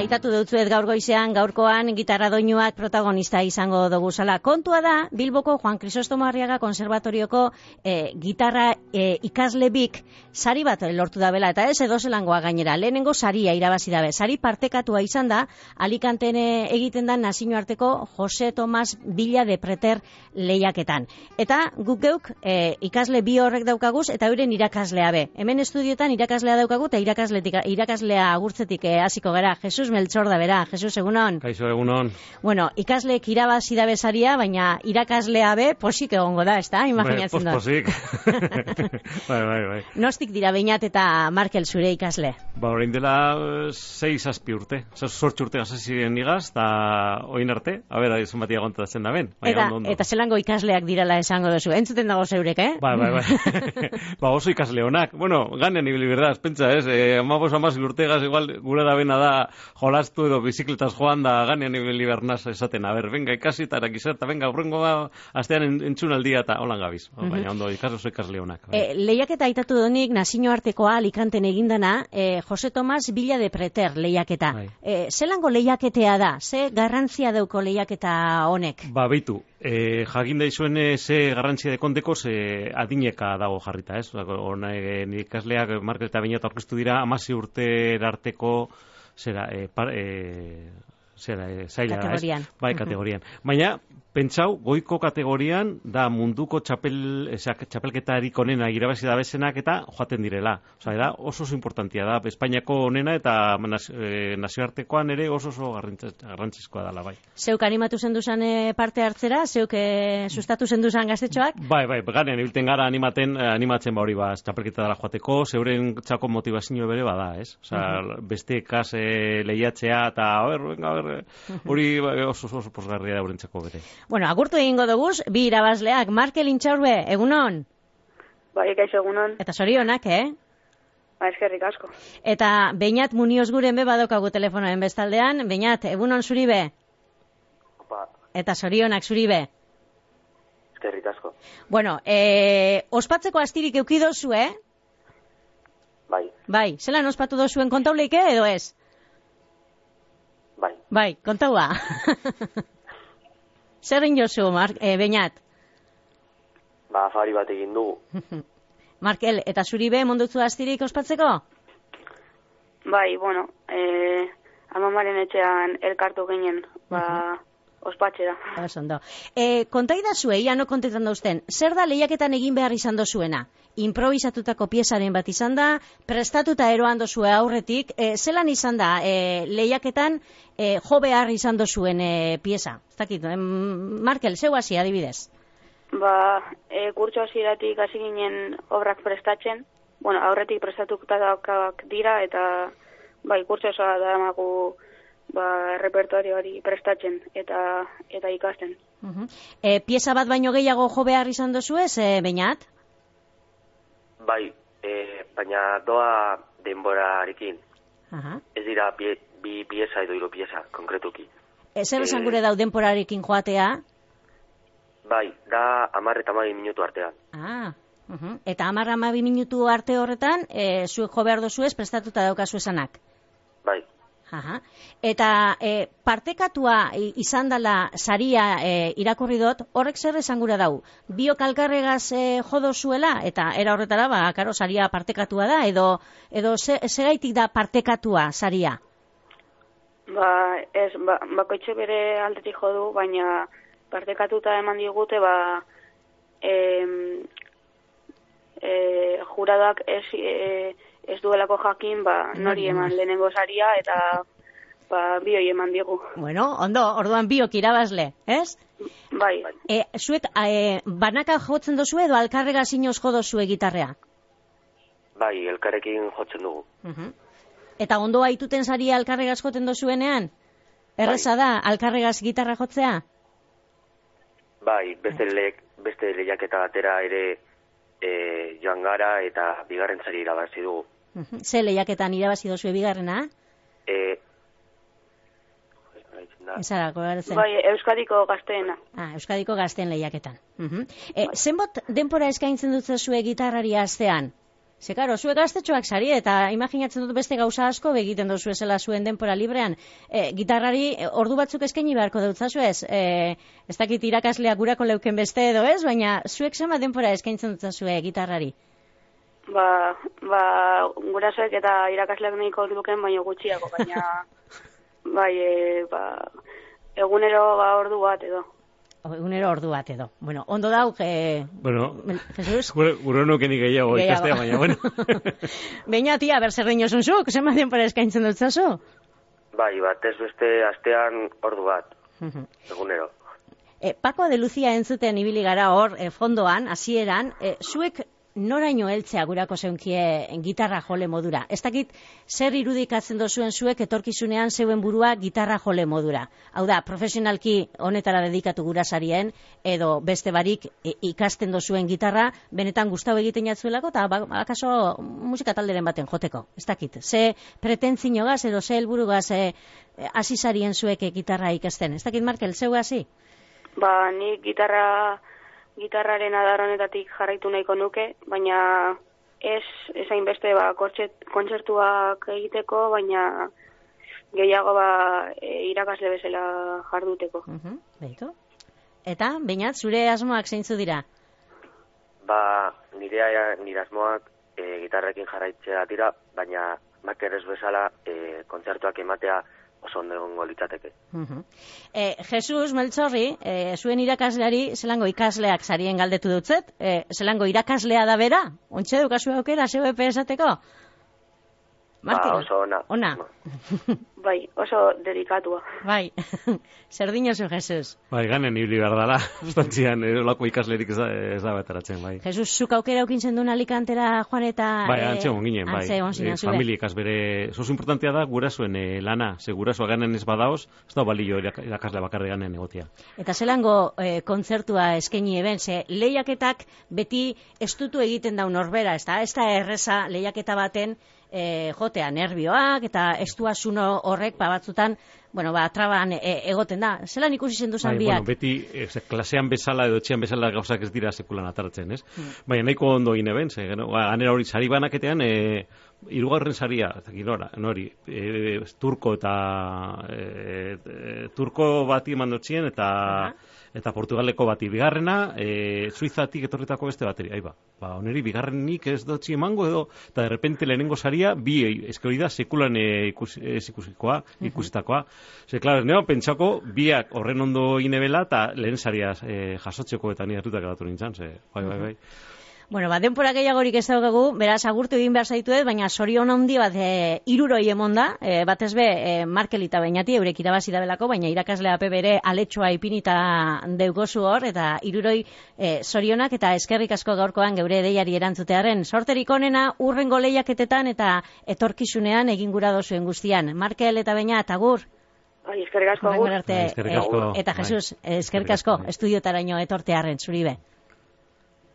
aitatu dutzuet gaur goizean, gaurkoan gitarra doinuak protagonista izango dugu zala. Kontua da, Bilboko Juan Crisostomo Arriaga Konservatorioko gitarra ikasle bik sari bat lortu da bela, eta ez edozelangoa gainera. Lehenengo saria irabazi dabe. Sari partekatua izan da, Alicanten egiten da nazioarteko Jose Tomas Villa de Preter lehiaketan. Eta guk geuk ikasle bi horrek daukaguz, eta euren irakaslea be. Hemen estudiotan irakaslea daukagu, eta irakaslea agurtzetik hasiko gara. Jesus Melchor da bera. Jesus, egunon. Kaixo, egunon. Bueno, ikasleek irabazi da besaria, baina irakaslea be posik egongo da, ezta? Imaginatzen da. Posik. bai. Nostik dira Beñat eta Markel zure ikasle? Ba, orain dela 6-7 urte. 8 urte hasi ziren igaz, eta oin arte, a ber, aizun batia gontatzen da ben. Eta zelango ikasleak dirala esango duzu. Entzuten dago zeurek, Bai. Ba, oso ikasle honak. Bueno, ganean ibili berdaz, pentsa, ez? 15 urtegaz, igual, gure da bena da jolastu edo bizikletaz joan da ganean ibili bernaz esaten. A ber, venga, ikasi eta erakizerta, venga, urrengo astean entzun aldia eta holan gabiz. Baina, ondo, ikasle honak. Lehiaketa aitatu donik, nazioartekoa Alicanten egindana, Jose Tomas Villa de Preter lehiaketa. Zelango lehiaketea da? Ze garrantzia dauko lehiaketa honek? Ba, beitu, jakin daizuen ze garrantzia dekondeko ze adineka dago jarrita, ez? Honek ikasleak Markel eta Beñat aurkeztu dira 16 urte arteko zaila da, ez? Bai, kategorian. Baina, pentsau, goiko kategorian da munduko txapelketarik onena irabazi da bezenak eta joaten direla. Osa, da oso importantia da, Espainiako onena eta nazioartekoan ere oso garrantzizkoa dela, bai. Zeuk animatu zenduzan parte hartzera? Zeuk sustatu zenduzan gaztetxoak? Bai, ganean ibilten gara animatzen ba hori txapelketa dela joateko, zeuren txako motivazio bere bada, ez? Osa, beste kas lehiatzea eta hori oso posgarria da urentzako bere. Bueno, agurtu egingo duguz, bi irabazleak, Markel Intxaurbe, egunon? Bai, kaixo, egunon. Eta zorionak, Ba, eskerrik asko. Eta Beñat Munioz guren be badokagu telefonoen bestaldean. Beñat, egunon zuri be? Opa. Eta zorionak zuri be? Eskerrik asko. Bueno, ospatzeko astirik eukidozu, Bai. Bai, zelan ospatu dozuen kontauleike edo ez? Bai, kontaua. Zer jozu, Beñat? Ba, afari bat egin dugu. Markel, eta zuri be mondutzu astirik ospatzeko? Bai, bueno, amamaren etxean elkartu ginen, ospatxera. Ondo. Kontai da zue, ia no kontetan dauzten, zer da lehiaketan egin behar izan dozuena? Improvisatutako piezaren bat izan da, prestatuta eroan dozue aurretik, zelan izan da lehiaketan jo behar izan dozuen pieza? Ez dakit, Markel, zeu hasi adibidez? Ba, kurtso hasieratik hasi ginen obrak prestatzen, bueno, aurretik prestatuta daukak dira, eta bai, kurtso osoa da emagu repertorioari prestatzen eta ikasten. Pieza bat baino gehiago jo behar izan dozu ez, Beñat? Bai, baina doa denborarekin. Ez dira bi pieza edo hiru pieza, konkretuki. Zer esan gure dau denborarekin joatea? Bai, da 10 eta 12 minutu artean. Eta 10 eta 12 minutu arte horretan, zuek jo behar dozu ez, prestatuta daukazu esanak? Bai. Eta partekatua izan dela saria irakurri dut, horrek zer esan gura dau? Biok alkarregaz jodo zuela, eta era horretara, karo, saria partekatua da, edo segaitik da partekatua saria? Ba, ez, bakoitxe bere aldetik jodu, baina partekatuta eman digute, juradoak ez duelako jakin, nori eman lehenengo saria, eta bioi eman digu. Bueno, ondo, orduan biok irabazle, ez? Bai. Zuek, banaka jotzen dozu edo alkarrega zinoz jo dozue gitarrea? Bai, elkarrekin jotzen dugu. Eta ondo aituten saria alkarregaz joten dozuenean? Erreza da, alkarregaz gitarra jotzea? Bai, beste lehiaketa batera ere joan gara eta bigarren sari irabazi dugu. Ze lehiaketan irabazi dozue bigarrena? Bai, Euskadiko gazteena. Euskadiko gazteen lehiaketan. Zenbot denpora eskaintzen dut zuzue gitarrari astean? Ze, karo, zuek gaztetxoak sari, eta imaginatzen dut beste gauza asko begiten dozu ezela zuen denpora librean. Gitarrari ordu batzuk eskaini beharko dutzazu ez? Ez dakit irakaslea gurako leuken beste edo ez, baina zuek zema denpora eskaintzen dutzazue gitarrari? Gurasoek eta irakasleak nahiko duken, baina gutxiago, baina egunero ordu bat edo. Egunero ordu bat edo. Bueno, ondo dauk, Jesus? Gure honuken gehiago ikastea, baina, bueno. Beina, tia, ber zer dinosun zuk, zenbat denpora eskaintzen dutzazu? Batez beste astean ordu bat, egunero. Paco de Lucía entzuten ibili gara hor, fondoan, hasieran, zuek noraino heltzea gurako zeunkie gitarra jole modura. Ez dakit zer irudikatzen dozuen zuek etorkizunean zeuen burua gitarra jole modura. Hau da, profesionalki honetara dedikatu gurasarien, edo beste barik ikasten dozuen gitarra, benetan gustau egiten jatzuelako, eta akaso musika talderen baten joteko. Ez dakit, ze pretentzino gaz, edo ze helburugaz hasi zarien zuek gitarra ikasten. Ez dakit, Markel, zeu hasi? Nik gitarraren adar honetatik jarraitu nahiko nuke, baina ez hainbeste kontzertuak egiteko, baina gehiago irakasle bezala jarduteko. Beitu. Eta, Beñat, zure asmoak zeintzu dira? Nire asmoak gitarrekin jarraitzea dira, baina Markel ez bezala kontzertuak ematea oso ondo egongo litzateke. Jesus Meltzorri, zuen irakasleari zelango ikasleak sarien galdetu dutzet, zelango irakaslea da bera? Ontxe dukazu aukera, zeu epe esateko? Oso ona. Bai, oso dedikatua. Bai, zer dinozu, Jesus? Ganen ibili behar dala, ostantzian, olako ikaslerik ez da betaratzen, bai. Jesus, zuk aukera ukintzen duen alikantera, Juan, eta... Antze ginen, familiek azbere... Zoz importantea da, gurasuen lana, ze gurasua ganen ez badaoz, ez da balio irakasle bakarri ganen egotia. Eta zelango kontzertua eskaini eben, ze lehiaketak beti estutu egiten daun norbera, ez da erreza lehiaketa baten jotea nervioak eta estuasuno horrek batzutan, traban egoten da. Zelan ikusi zendu zan biak? Beti klasean bezala edo etxean bezala gauzak ez dira sekulan atartzen, ez? Baina nahiko ondo gine ben, ganera hori sari banaketean, hirugarren saria, nori, turko bati mandotxien eta Portugaleko bati bigarrena, Suizatik etorritako beste bateri. Oneri bigarrenik ez dotzi emango edo, eta de repente lehenengo saria, bi hori da sekulan ikusitakoa. Ze, klaro, pentsako, biak horren ondo inebela, eta lehen saria jasotzeko eta nire hartutak edatu nintzen, bai. Bueno, denpora gehiagorik ez daukagu, beraz agurtu egin behar zaituet, baina sorion handi bat hiruroi emonda, batez be Markel eta Beñati eurek irabazi da belako, baina irakaslea bere aletxoa ipinita deugozu hor, eta hiruroi sorionak eta eskerrik asko gaurkoan geure deiari erantzutearen. Sorterik onena urrengo lehiaketetan eta etorkizunean egin gura dozuen guztian. Markel eta Beñat, agur. Eskerrik asko, agur. Eta Jesus, eskerrik asko, estudiotaraino etortearen, zuri be.